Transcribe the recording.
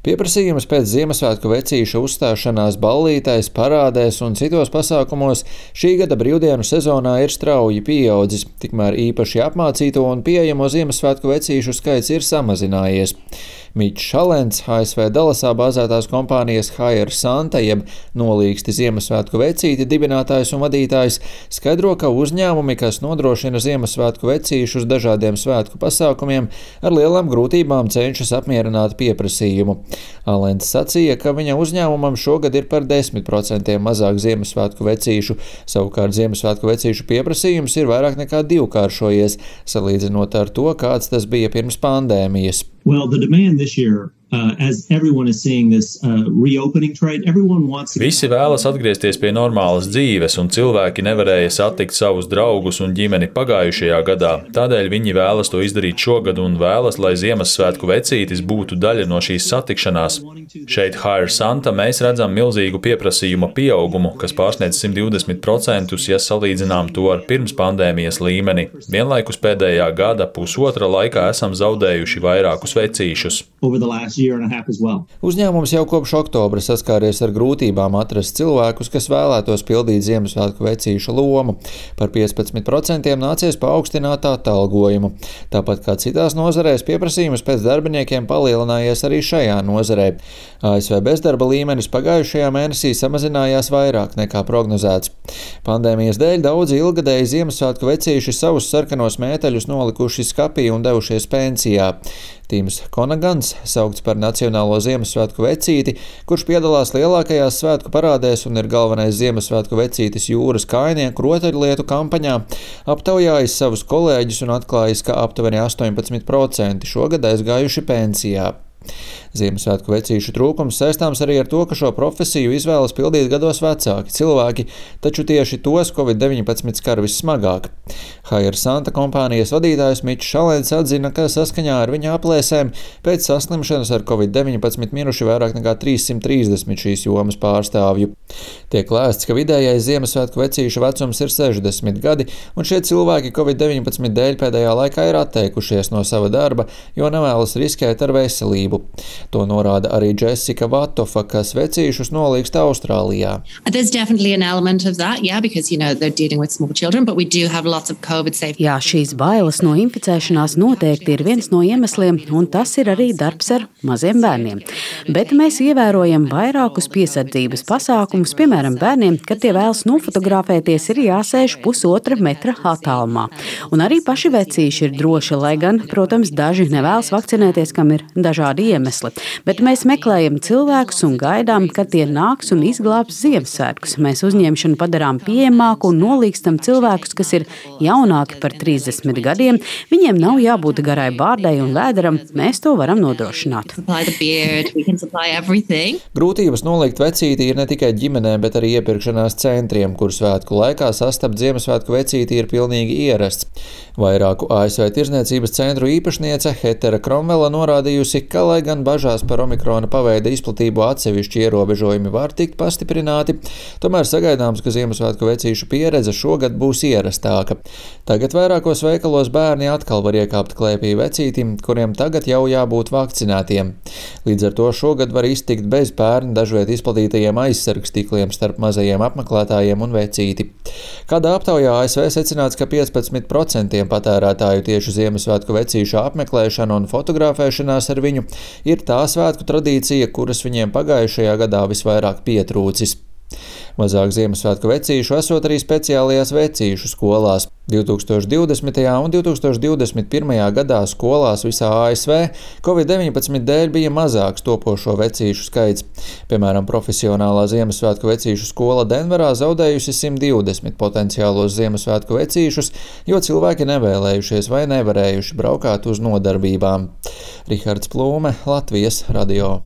Pieprasījums pēc Ziemassvētku vecīša uzstāšanās ballītēs, parādēs un citos pasākumos šī gada brīvdienu sezonā ir strauji pieaudzis, tikmēr īpaši apmācīto un pieejamo Ziemassvētku vecīšu skaits ir samazinājies. Mičs Šalents, ASV Dalasā bāzētās kompānijas Hire Santa jeb Nolīgsti Ziemassvētku vecīti dibinātājs un vadītājs, skaidro, ka uzņēmumi, kas nodrošina Ziemassvētku vecīšus dažādiem svētku pasākumiem, ar lielām grūtībām cenšas apmierināt pieprasījumu. Alents sacīja, ka viņa uzņēmumam šogad ir par 10% mazāk Ziemassvētku vecīšu, savukārt Ziemassvētku vecīšu pieprasījums ir vairāk nekā divkāršojies, salīdzinot ar to, kāds tas bija pirms pandēmijas. Well, the demand this year, as everyone is seeing this reopening trend, everyone wants to... Visi vēlas atgriezties pie normālas dzīves, un cilvēki nevarēja satikt savus draugus un ģimeni pagājušajā gadā. Tādēļ viņi vēlas to izdarīt šogad un vēlas, lai Ziemassvētku vecītis būtu daļa no šīs satikšanās. Šeit Hire Santa mēs redzam milzīgu pieprasījuma pieaugumu, kas pārsniedz 120%, ja salīdzinām to ar pirms pandēmijas līmeni. Vienlaikus pēdējā gada pusotra laikā esam zaudējuši vairākus vecīšus. Uzņēmums jau kopš oktobra saskāries ar grūtībām atrast cilvēkus, kas vēlētos pildīt Ziemassvētku vecīša lomu. Par 15% nācies paaugstināt atalgojumu. Tāpat kā citās nozarēs, pieprasījums pēc darbiniekiem palielinājies arī šajā nozarē. ASV bezdarba līmenis pagājušajā mēnesī samazinājās vairāk nekā prognozēts. Pandēmijas dēļ daudzi ilgadēji Ziemassvētku vecīši savus sarkanos mēteļus nolikuši skapī un devušies pensijā. Tims Konagans, saukts par Nacionālo Ziemassvētku vecīti, kurš piedalās lielākajās svētku parādēs un ir galvenais Ziemassvētku vecītis jūras kājnieku rotaļlietu kampaņā, aptaujājis savus kolēģus un atklājis, ka aptuveni 18% šogad aizgājuši pensijā. Ziemassvētku vecīšu trūkums saistāms arī ar to, ka šo profesiju izvēlas pildīt gados vecāki cilvēki, taču tieši tos Covid-19 skar vissmagāk. Hire Santa kompānijas vadītājs Mičs Šalents atzina, ka saskaņā ar viņa aplēsēm pēc saslimšanas ar Covid-19 miruši vairāk nekā 330 šīs jomas pārstāvju. Tiek lēsts, ka vidējais Ziemassvētku vecīšu vecums ir 60 gadi, un šie cilvēki Covid-19 dēļ pēdējā laikā ir atteikušies no sava darba, jo nevēlas riskēt ar veselību. To norāda arī Jessica Vatofa, kas vecīšus nolīgst Austrālijā. Jā, šīs bailes no inficēšanās noteikti ir viens no iemesliem, un tas ir arī darbs ar maziem bērniem. Bet mēs ievērojam vairākus piesardzības pasākumus, piemēram, bērniem, kad tie vēlas nofotografēties, ir jāsēž 1,5 metra attālumā. Un arī paši vecīši ir droši, lai gan, protams, daži nevēlas vakcinēties, kam ir dažādi iemesli. Bet mēs meklējam cilvēkus un gaidām, kad tie nāks un izglābs Ziemassvētkus. Mēs uzņemšanu padarām pieejamāku un nolīgstam cilvēkus, kas ir jaunāki par 30 gadiem. Viņiem nav jābūt garai bārdai un vēderam, mēs to varam nodrošināt. Grūtības nolikt vecīti ir ne tikai ģimenēm, bet arī iepirkšanās centriem, kur svētku laikā sastapt Ziemassvētku vecīti ir pilnīgi ierasts. Vairāku ASV tirzniecības centru īpašniece Hetera Kromvela norādījusi, ka, lai gan bažās par omikrona paveida izplatību atsevišķi ierobežojumi var tikt pastiprināti, tomēr sagaidāms, ka Ziemassvētku vecīšu pieredze šogad būs ierastāka. Tagad vairākos veikalos bērni atkal var iekāpt klēpī vecītim, kuriem tagad jau jābūt vakcinētiem. Līdz ar to šogad var iztikt bez pērn dažviet izplatītajiem aizsargstikliem starp mazajiem apmeklētājiem un vecīti. Kādā aptaujā ASV secināts, ka 15% patērētāju tieši Ziemassvētku vecīšu apmeklēšana un fotografēšanās ar viņu ir tā svētku tradīcija, kuras viņiem pagājušajā gadā visvairāk pietrūcis. Mazāk Ziemassvētku vecīšu esot arī speciālajās vecīšu skolās. 2020. un 2021. gadā skolās visā ASV Covid-19 dēļ bija mazāks topošo vecīšu skaits. Piemēram, profesionālā Ziemassvētku vecīšu skola Denverā zaudējusi 120 potenciālos Ziemassvētku vecīšus, jo cilvēki nevēlējušies vai nevarējuši braukāt uz nodarbībām. Rihards Plūme, Latvijas radio.